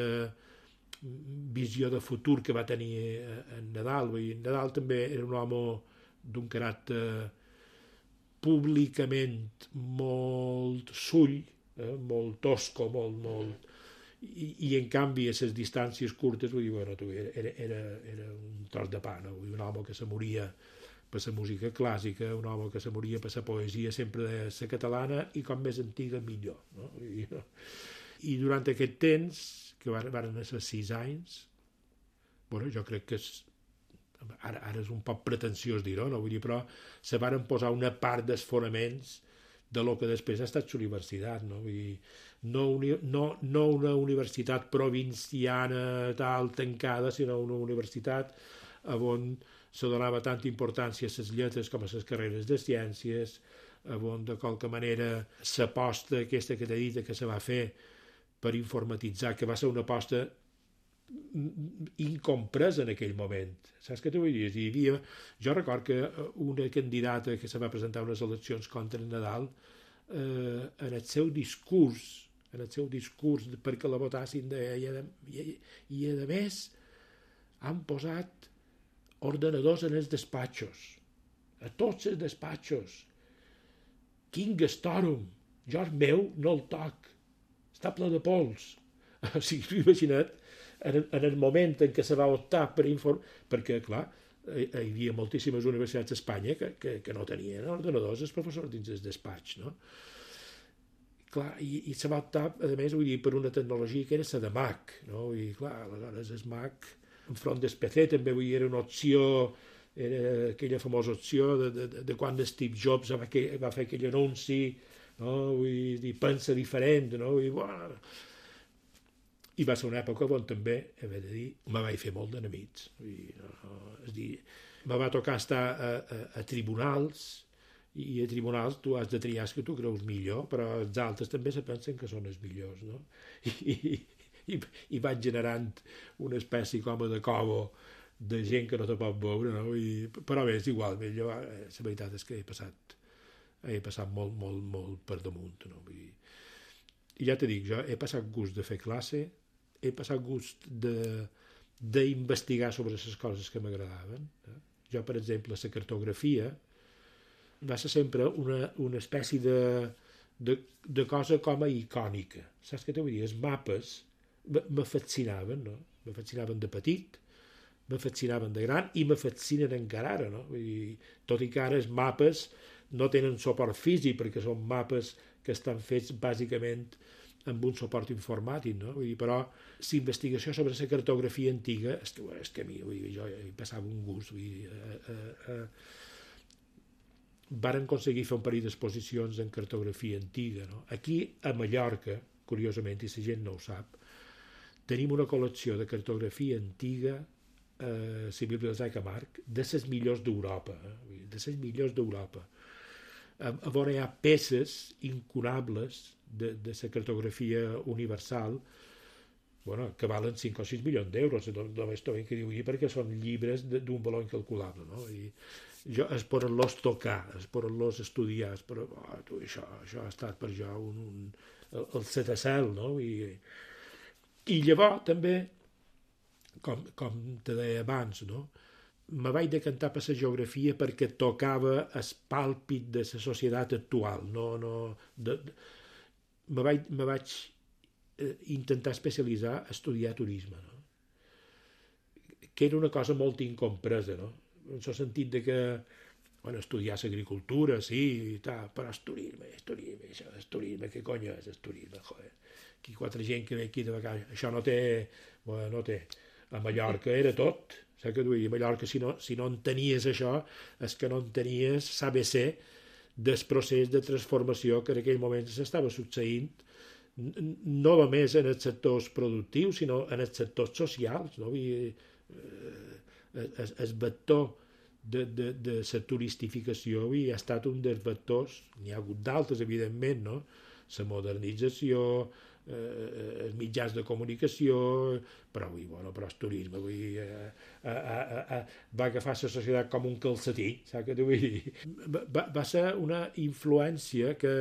visió de futur que va tenir en Nadal. Vull dir, Nadal també era un home d'un caràcter públicament molt sull, eh, molt tosco, molt, molt... I, i en canvi a les distàncies curtes vull dir, bueno, tu, era, era, era un tros de pa, no? Vull dir, un home que se moria per la música clàssica, un home que se moria per la poesia sempre de la catalana i com més antiga millor, no? I, no? I durant aquest temps, que van, van ser sis anys, bueno, jo crec que és, ara, ara és un poc pretensiós dir-ho, no? Vull dir, però se van posar una part dels fonaments de lo que després ha estat la universitat, no? Vull dir, no, uni, no, no una universitat provinciana tal tancada, sinó una universitat on se donava tanta importància a les lletres com a les carreres de ciències, on de qualque manera l'aposta aquesta que t'he dit que se va fer per informatitzar, que va ser una aposta incompresa en aquell moment. Saps què t'ho vull dir? Hi havia... Jo record que una candidata que se va presentar a unes eleccions contra el Nadal, eh, en el seu discurs, en el seu discurs perquè la votassin, de, i, a, i, i a més han posat ordenadors en els despatxos, a tots els despatxos. Quin gastorum! Jo el meu no el toc, està ple de pols. O sigui, imagina't, en, en el moment en què se va optar per informar, perquè, clar, hi havia moltíssimes universitats a Espanya que, que, que no tenien ordenadors els professors dins el despatx, no? Clar, i, i se va optar, a més, vull dir, per una tecnologia que era la de Mac, no? I, clar, aleshores el Mac, enfront del P C, també, vull dir, era una opció, era aquella famosa opció de, de, de quan Steve Jobs va, que, va fer aquell anunci, no? Vull dir, pensa diferent, no? Vull dir, bueno... I va ser una època on també, he de dir, me vaig fer molt d'enemics. No, és dir, me va tocar estar a, a, a tribunals, i a tribunals tu has de triar que tu creus millor, però els altres també se pensen que són els millors, no? I, i, i, i vaig generant una espècie com de cobo de gent que no te pot veure, no? I, però bé, és igual, jo, la veritat és que he passat, he passat molt, molt, molt per damunt, no? I, i ja t'he dit, jo he passat gust de fer classe, he passat gust d'investigar sobre les coses que m'agradaven. Eh? Jo, per exemple, la cartografia va ser sempre una, una espècie de, de, de cosa com a icònica. Saps què t'ho vull dir? Els mapes me fascinaven, no? Me fascinaven de petit, me fascinaven de gran i me fascinen encara ara, no? Vull dir, tot i que ara els mapes no tenen suport físic perquè són mapes que estan fets bàsicament amb un suport informàtic, no? Vull dir, però la investigació sobre la cartografia antiga és que, és que a mi, vull dir, jo hi passava un gust. Vull dir, eh, eh, eh. Varen aconseguir fer un parell d'exposicions en cartografia antiga, no? Aquí, a Mallorca, curiosament, i la gent no ho sap, tenim una col·lecció de cartografia antiga a eh, la Biblioteca Marc de les millors d'Europa, eh? de les millors d'Europa. A, a veure, hi ha peces incunables de, de la cartografia universal, bueno, que valen cinc o sis milions d'euros, només t'ho que diu, perquè són llibres d'un valor incalculable, no? I jo, es poden-los tocar, es poden-los estudiar, es poden, oh, tu, això, això ha estat per jo un, un, el, el setacel, no? I, i llavors també, com, com te deia abans, no? Me vaig decantar per la geografia perquè tocava el pàlpit de la societat actual. No, no, de, de, me vaig, me vaig eh, intentar especialitzar a estudiar turisme, no? Que era una cosa molt incompresa, no? En el sentit de que, bueno, estudiar l'agricultura, sí, i tal, però és turisme, és turisme, això és turisme, què cony és el turisme, joder? Aquí quatre gent que ve aquí de vacances, això no té, bueno, no té. A Mallorca era tot. Saps què vull dir? A Mallorca, si no, si no entenies això, és que no entenies l'A B C del procés de transformació que en aquell moment s'estava succeint, no només en els sectors productius, sinó en els sectors socials, no? I, eh, el, el vector de, de, de la turistificació i ha estat un dels vectors, n'hi ha hagut d'altres, evidentment, no? La modernització, eh, els mitjans de comunicació, però, ui, bueno, però el turisme, ui, eh, eh, eh, eh, va agafar la societat com un calcetí, saps què t'ho vull dir? Va, va ser una influència que,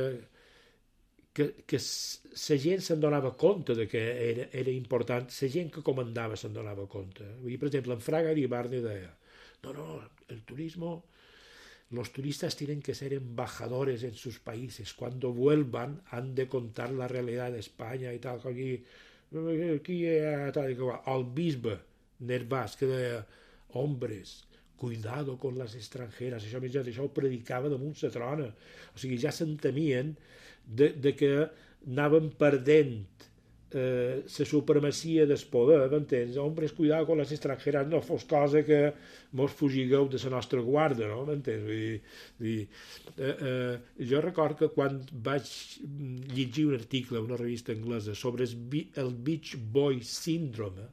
que, que la gent se'n donava compte de que era, era important, la gent que comandava se'n donava compte. Vull dir, per exemple, en Fraga Iribarne deia, no, no, el turisme los turistas tienen que ser embajadores en sus países. Cuando vuelvan han de contar la realidad de España i tal. Aquí, aquí tal, el bisbe Nervàs que deia, hombres, cuidado con les estrangeres, això, més, això ho predicava damunt la trona. O sigui, ja s'entemien de, de que anaven perdent eh, la supremacia del poder, m'entens? Hombres, cuidado con les estrangeres, no fos cosa que mos fugigueu de la nostra guarda, no? M'entens? Vull dir, vull dir, eh, eh, jo record que quan vaig llegir un article a una revista anglesa sobre el, el Beach Boy Syndrome,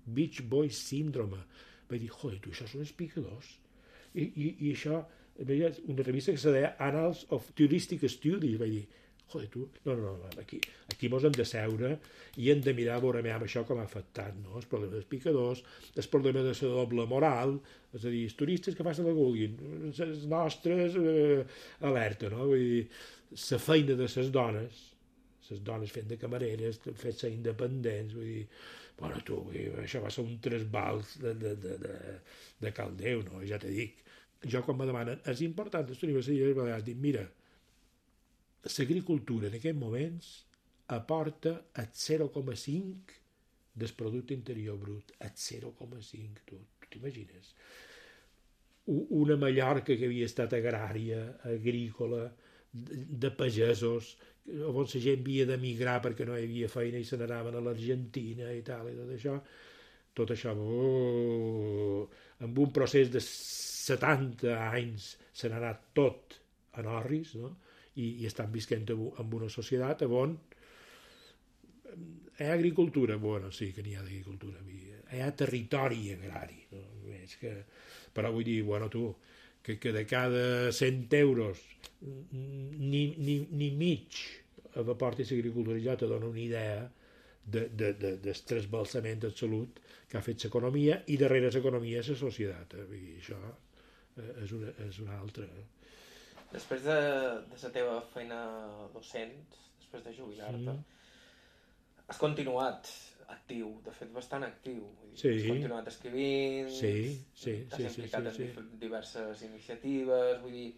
Beach Boy Syndrome, vaig dir, joder, tu, això són els picadors. I, i, i això, una revista que se deia Annals of Touristic Studies, vaig dir, joder, tu, no, no, no, aquí, aquí mos hem de seure i hem de mirar a veure amb això com ha afectat, no? El problema dels picadors, el problema de la doble moral, és a dir, els turistes que facin el que vulguin, les nostres eh, alerta, no? Vull dir, la feina de les dones, les dones fent de camareres, fent-se independents, vull dir, bueno, tu, això va ser un trasbals de, de, de, de, de caldeu, no? Ja te dic. Jo, quan me demanen, és important, les universitats balears, dic, mira, l'agricultura en aquests moments aporta el zero coma cinc del producte interior brut, el zero coma cinc, tu, tu t'imagines? Una Mallorca que havia estat agrària, agrícola, de, de pagesos, on la gent havia d'emigrar perquè no hi havia feina i se n'anaven a l'Argentina i tal, i tot això, tot això, oh, amb un procés de setanta anys se n'ha anat tot en orris, no? I, i estan visquent en una societat on hi ha agricultura, bueno, sí que n'hi ha d'agricultura, hi ha territori agrari, no? Més que, però vull dir, bueno, tu, que, que de cada cent euros ni, ni, ni mig aporti l'agricultura, ja te dona una idea de, de, de, del trasbalsament absolut que ha fet l'economia i darrere l'economia la societat. Eh? Vull dir, això és una, és una altra. Després de, de la teva feina docent, després de jubilar-te, mm. has continuat actiu, de fet bastant actiu. Vull dir, sí. Has continuat escrivint, sí, sí, t'has sí, implicat sí, sí, en sí. diverses iniciatives, vull dir,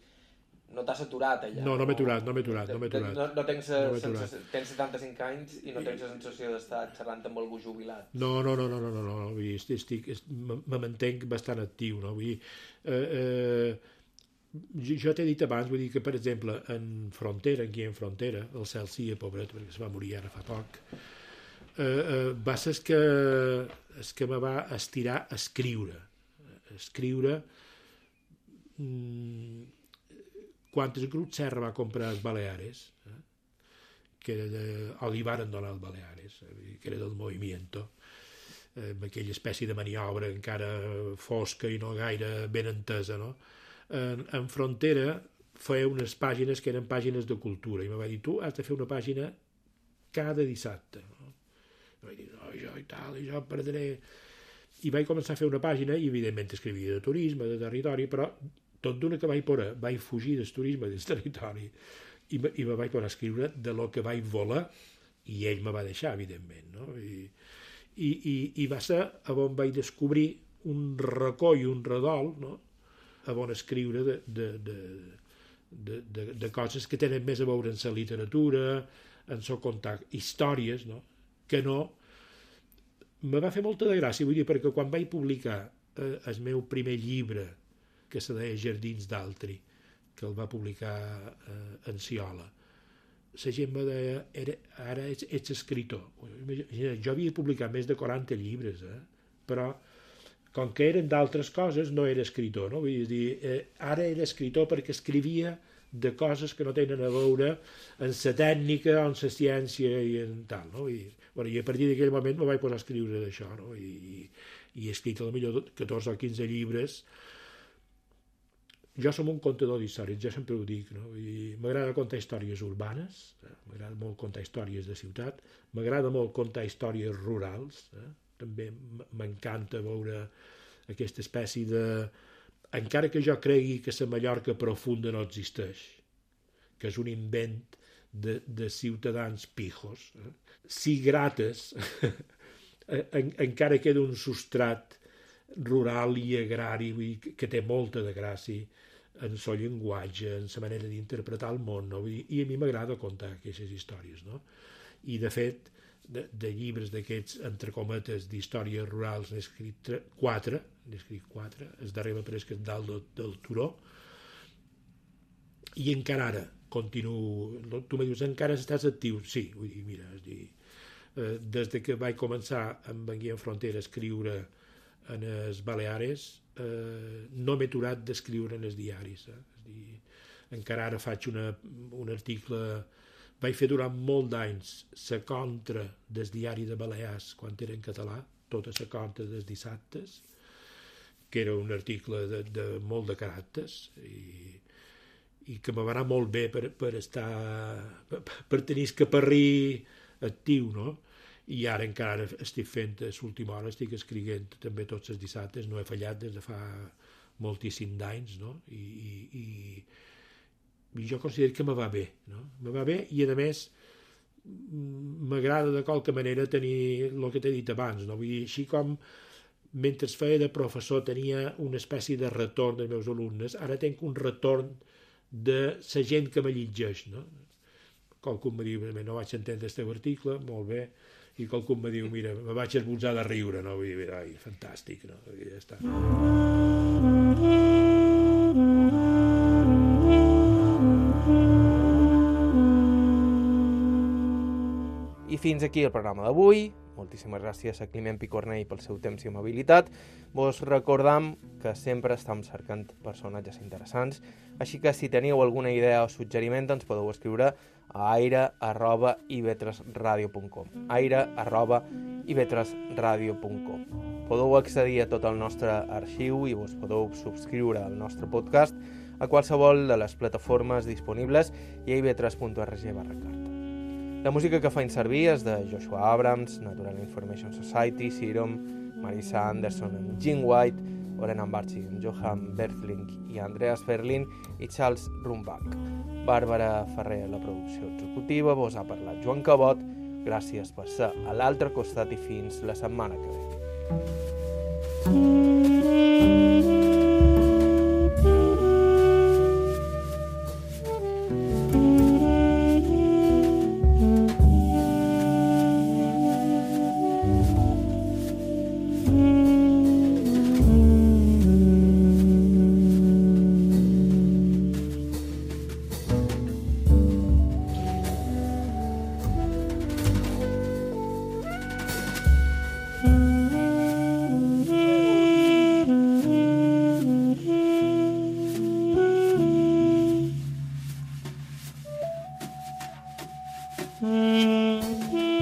no t'has aturat allà. No, no m'he aturat, no m'he aturat, no m'he aturat. No, no tens, no sensació, tens setanta-cinc anys i no tens la sensació d'estar xerrant amb algú jubilat. No, no, no, no, no, no, no. Vull dir, estic, estic, me mantenc bastant actiu, no? Vull dir, eh, eh, jo t'he dit abans, vull dir que, per exemple, en Frontera, aquí en Frontera, el Celsius, pobret, perquè es va morir ara fa poc, eh, eh, va ser el que, el que me va estirar a escriure. A escriure... Mm, quan el grup Serra va comprar els Baleares, eh, que era de, o li van donar els Baleares, eh, que era del Movimiento, eh, amb aquella espècie de maniobra encara fosca i no gaire ben entesa, no? En, en Frontera feia unes pàgines que eren pàgines de cultura, i em va dir, tu has de fer una pàgina cada dissabte, no? I vaig dir, no, jo i tal, i jo perdré... I vaig començar a fer una pàgina, i evidentment escrivia de turisme, de territori, però tot d'una que vaig poder, vaig fugir del turisme del territori i, me, i me vaig poder escriure de lo que vaig voler i ell me va deixar, evidentment, no? I, i, i, i va ser on vaig descobrir un racó i un redol, no? On escriure de, de, de, de, de, de coses que tenen més a veure en la literatura, en el contar històries, no? Que no... Me va fer molta de gràcia, vull dir, perquè quan vaig publicar eh, el meu primer llibre, que se deia Jardins d'Altri, que el va publicar eh, en Ciola, la gent me deia, era, ara ets, ets escritor. Jo havia publicat més de quaranta llibres, eh? Però com que eren d'altres coses, no era escritor, no? Vull dir, eh, ara era escritor perquè escrivia de coses que no tenen a veure en la tècnica, en la ciència i en tal, no? I, bueno, i a partir d'aquell moment me vaig posar a escriure d'això, no? I, i he escrit a la millor catorze o quinze llibres. Jo som un contador d'històries, jo sempre ho dic, no? M'agrada contar històries urbanes, eh? M'agrada molt contar històries de ciutat, m'agrada molt contar històries rurals, eh? També m'encanta veure aquesta espècie de... Encara que jo cregui que la Mallorca profunda no existeix, que és un invent de, de ciutadans pijos, eh? Si grates, en, encara queda un substrat rural i agrari, vull dir, que té molta de gràcia, en el llenguatge, en la manera d'interpretar el món, no? I, i a mi m'agrada contar aquestes històries, no? I de fet, de, de llibres d'aquests, entre cometes, d'històries rurals, n'he escrit tre, quatre, n'he escrit quatre, el darrer m'ha pres que és dalt del, del turó, i encara ara continuo, tu me dius, encara estàs actiu? Sí, vull dir, mira, és dir, eh, des de que vaig començar amb en Guillem Frontera a escriure en les Baleares, eh, no m'he aturat d'escriure en els diaris, eh? És dir, encara ara faig una, un article, vaig fer durant molt d'anys la contra del diari de Balears quan era en català, tota la contra dels dissabtes, que era un article de, de molt de caràcters i, i que me va anar molt bé per, per estar per, per tenir el caparrí actiu, no? I ara encara estic fent a l'última hora, estic escrivint també tots els dissabtes, no he fallat des de fa moltíssim d'anys, no? I, i, i, i jo considero que me va bé, no? Me va bé i a més m'agrada de qualque manera tenir el que t'he dit abans, no? Vull dir, així com mentre feia de professor tenia una espècie de retorn dels meus alumnes, ara tinc un retorn de la gent que me llegeix, no? Qualcú em diu, no vaig entendre el teu article, molt bé, i qualcú em diu, mira, me vaig esbotzar de riure, no? Vull dir, ai, fantàstic, no? Ja està. I fins aquí el programa d'avui. Moltíssimes gràcies a Climent Picornell pel seu temps i amabilitat. Vos recordam que sempre estem cercant personatges interessants, així que si teniu alguna idea o suggeriment ens podeu escriure a aire arroba i ve tres radio punt com aire arroba i ve tres radio punt com. Podeu accedir a tot el nostre arxiu i vos podeu subscriure al nostre podcast a qualsevol de les plataformes disponibles i a i ve tres punt org barra carta. La música que faig servir és de Joshua Abrams, Natural Information Society, Serum, Marisa Anderson amb Gene White, Orena Barchi amb Johan Berthling i Andreas Ferlin i Charles Rumbach. Bàrbara Ferrer a la producció executiva, vos ha parlat Joan Cabot, gràcies per ser a l'altre costat i fins la setmana que ve. Mm-hmm.